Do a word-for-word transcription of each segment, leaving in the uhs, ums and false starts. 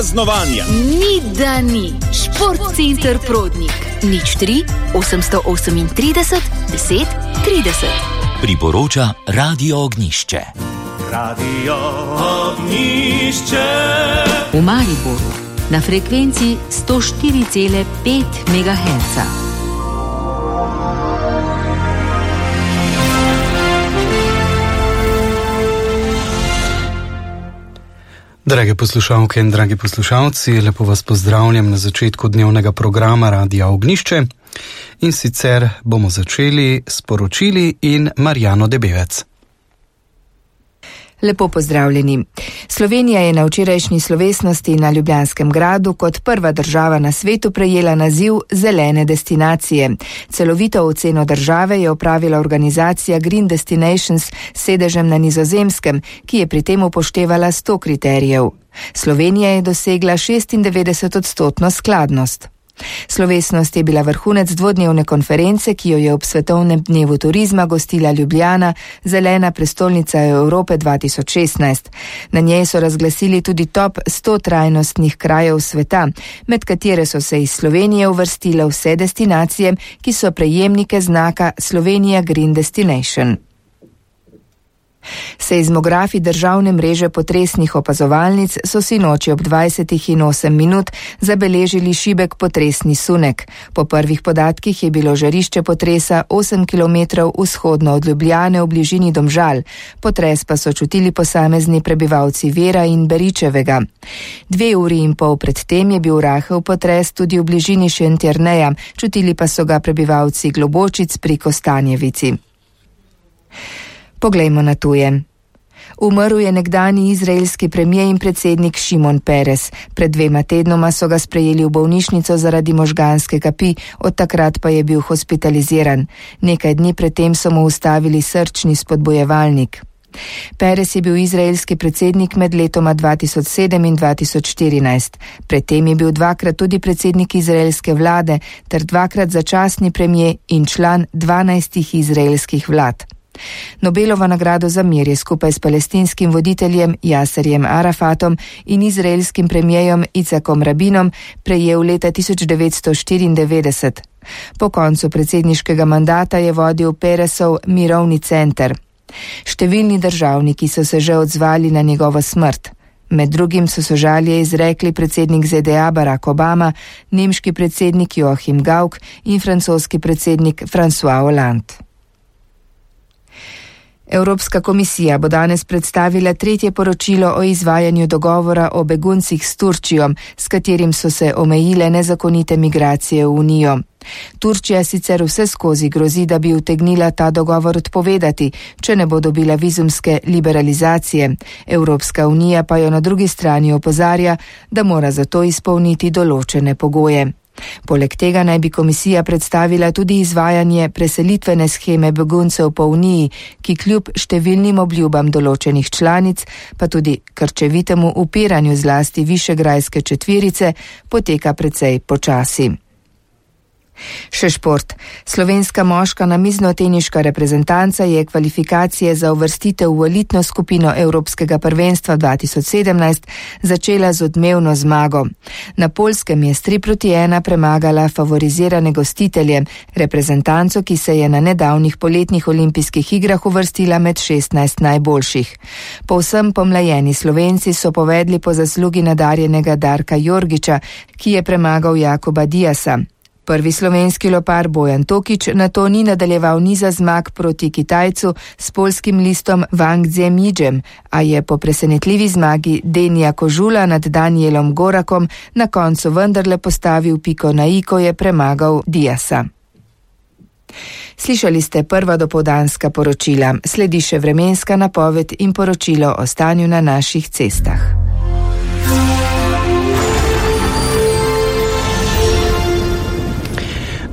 praznovanja. Ni da ni. Šport center Prodnik. Nič tri, osemsto osemintrideset, deset, trideset. Priporoča Radio Ognjišče. Radio Ognjišče. V Mariboru na frekvenci sto štiri cela pet megaherca. Drage poslušalke in dragi poslušalci, lepo vas pozdravljam na začetku dnevnega programa Radia Ognjišče. In sicer bomo začeli s poročili in Marjano Debevec. Lepo pozdravljeni. Slovenija je na včerajšnji slovesnosti na Ljubljanskem gradu kot prva država na svetu prejela naziv zelene destinacije. Celovito oceno države je opravila organizacija Green Destinations s sedežem na Nizozemskem, ki je pri tem upoštevala sto kriterijev. Slovenija je dosegla šestindevetdeset odstotno skladnost. Slovesnost je bila vrhunec dvodnevne konference, ki jo je ob Svetovnem dnevu turizma gostila Ljubljana, zelena prestolnica Evrope dva tisoč šestnajst. Na njej so razglasili tudi top sto trajnostnih krajev sveta, med katere so se iz Slovenije uvrstile vse destinacije, ki so prejemnike znaka Slovenija Green Destination. Seizmografi državne mreže potresnih opazovalnic so sinoči ob dvajsetih in osem minut zabeležili šibek potresni sunek. Po prvih podatkih je bilo žarišče potresa osem kilometrov vzhodno od Ljubljane v bližini Domžal. Potres pa so čutili posamezni prebivalci Vera in Beričevega. Dve uri in pol pred tem je bil rahel potres tudi v bližini Šentjerneja, čutili pa so ga prebivalci Globočic pri Kostanjevici. Poglejmo na tuje. Umrl je nekdanji izraelski premijer in predsednik Šimon Peres. Pred dvema tednoma so ga sprejeli v bolnišnico zaradi možganske kapi, od takrat pa je bil hospitaliziran. Nekaj dni predtem so mu ustavili srčni spodbojevalnik. Peres je bil izraelski predsednik med letoma dva tisoč sedem in dva tisoč štirinajst. Predtem je bil dvakrat tudi predsednik izraelske vlade ter dvakrat začasni premijer in član dvanajstih izraelskih vlad. Nobelova nagrado za mir je skupaj s palestinskim voditeljem Jaserjem Arafatom in izraelskim premijerom Icakom Rabinom prejel leta tisoč devetsto štiriindevetdeset. Po koncu predsedniškega mandata je vodil Peresov mirovni center. Številni državniki so se že odzvali na njegovo smrt. Med drugim so sožalje izrekli predsednik Z D A Barack Obama, nemški predsednik Joachim Gauck in francoski predsednik François Hollande. Evropska komisija bo danes predstavila tretje poročilo o izvajanju dogovora o beguncih s Turčijo, s katerim so se omejile nezakonite migracije v Unijo. Turčija sicer vse skozi grozi, da bi utegnila ta dogovor odpovedati, če ne bo dobila vizumske liberalizacije. Evropska unija pa jo na drugi strani opozarja, da mora za to izpolniti določene pogoje. Poleg tega naj bi komisija predstavila tudi izvajanje preselitvene sheme beguncev po Uniji, ki kljub številnim obljubam določenih članic, pa tudi krčevitemu upiranju zlasti višegrajske četverice, poteka precej počasi. Še šport. Slovenska moška namiznoteniška reprezentanca je kvalifikacije za uvrstitev v elitno skupino Evropskega prvenstva dva tisoč sedemnajst začela z odmevno zmago. Na Poljskem je s tri proti ena premagala favorizirane gostitelje, reprezentanco, ki se je na nedavnih poletnih olimpijskih igrah uvrstila med šestnajst najboljših. Povsem pomlajeni Slovenci so povedli po zaslugi nadarjenega Darka Jorgiča, ki je premagal Jakoba Diasa. Prvi slovenski lopar Bojan Tokič nato ni nadaljeval niza zmag proti Kitajcu s poljskim listom Wang Zhemidžem, a je po presenetljivi zmagi Denija Kožula nad Danielom Gorakom na koncu vendarle postavil piko na i, ko je premagal Diasa. Slišali ste prva dopoldanska poročila, sledi še vremenska napoved in poročilo o stanju na naših cestah.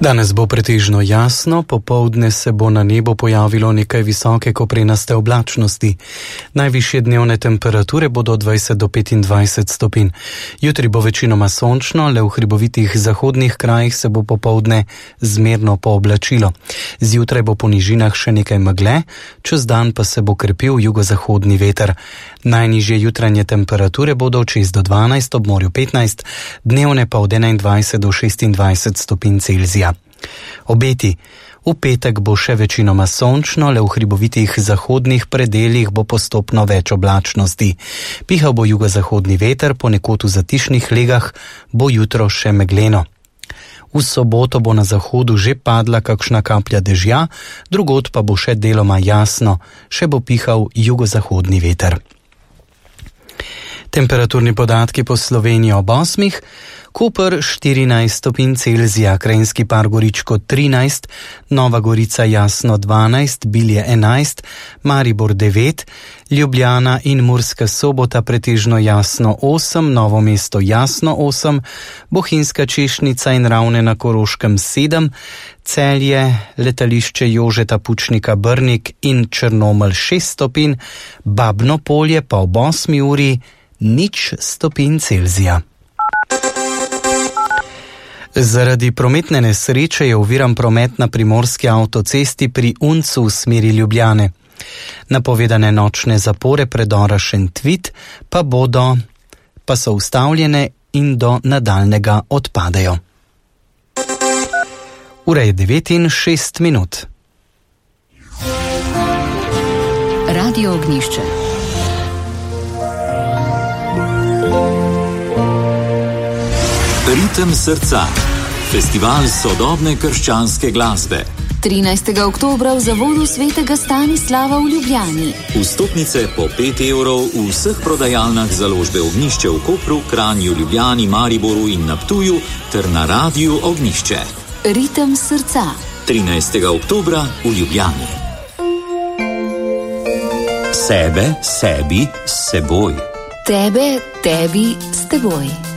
Danes bo pretežno jasno, popoldne se bo na nebu pojavilo nekaj visoke koprenaste oblačnosti. Najvišje dnevne temperature bodo od dvajset do petindvajset stopinj. Jutri bo večinoma sončno, le v hribovitih zahodnih krajih se bo popoldne zmerno pooblačilo. Zjutraj bo po nižinah še nekaj megle, čez dan pa se bo krepil jugozahodni veter. Najnižje jutranje temperature bodo od šest do dvanajst, ob morju petnajst, dnevne pa od enaindvajset do šestindvajset stopinj Celzija. Obeti. V petek bo še večinoma sončno, le v hribovitih zahodnih predeljih bo postopno več oblačnosti. Pihal bo jugozahodni veter, ponekod v zatišnih legah bo jutro še megleno. V soboto bo na zahodu že padla kakšna kaplja dežja, drugod pa bo še deloma jasno, še bo pihal jugozahodni veter. Temperaturni podatki po Sloveniji ob osmih. Koper štirinajst stopinj Celzija, Krajinski par Goričko trinajst, Nova Gorica jasno dvanajst, Bilje enajst, Maribor devet, Ljubljana in Murska Sobota pretežno jasno osem, Novo mesto jasno osem, Bohinjska Češnica in Ravne na Koroškem sedem, Celje, letališče Jožeta Pučnika Brnik in Črnomelj šest stopinj, Babno Polje pa ob osmi uri nič stopinj Celzija. Zaradi prometne nesreče je oviran promet na primorski avtocesti pri Uncu v smeri Ljubljane. Napovedane nočne zapore predora Šentvid pa bodo, pa so ustavljene in do nadaljnega odpadejo. Ura je devet in šest minut. Radio Ognjišče. Ritem srca. Festival sodobne krščanske glasbe. trinajstega oktobra v Zavodu svetega Stanislava v Ljubljani. Vstopnice po pet evrov v vseh prodajalnah založbe Ognjišče v Kopru, Kranju, Ljubljani, Mariboru in na Ptuju ter na Radiu Ognjišče. Ritem srca. trinajstega oktobra v Ljubljani. Sebe, sebi, s seboj. Tebe, tebi, s teboj.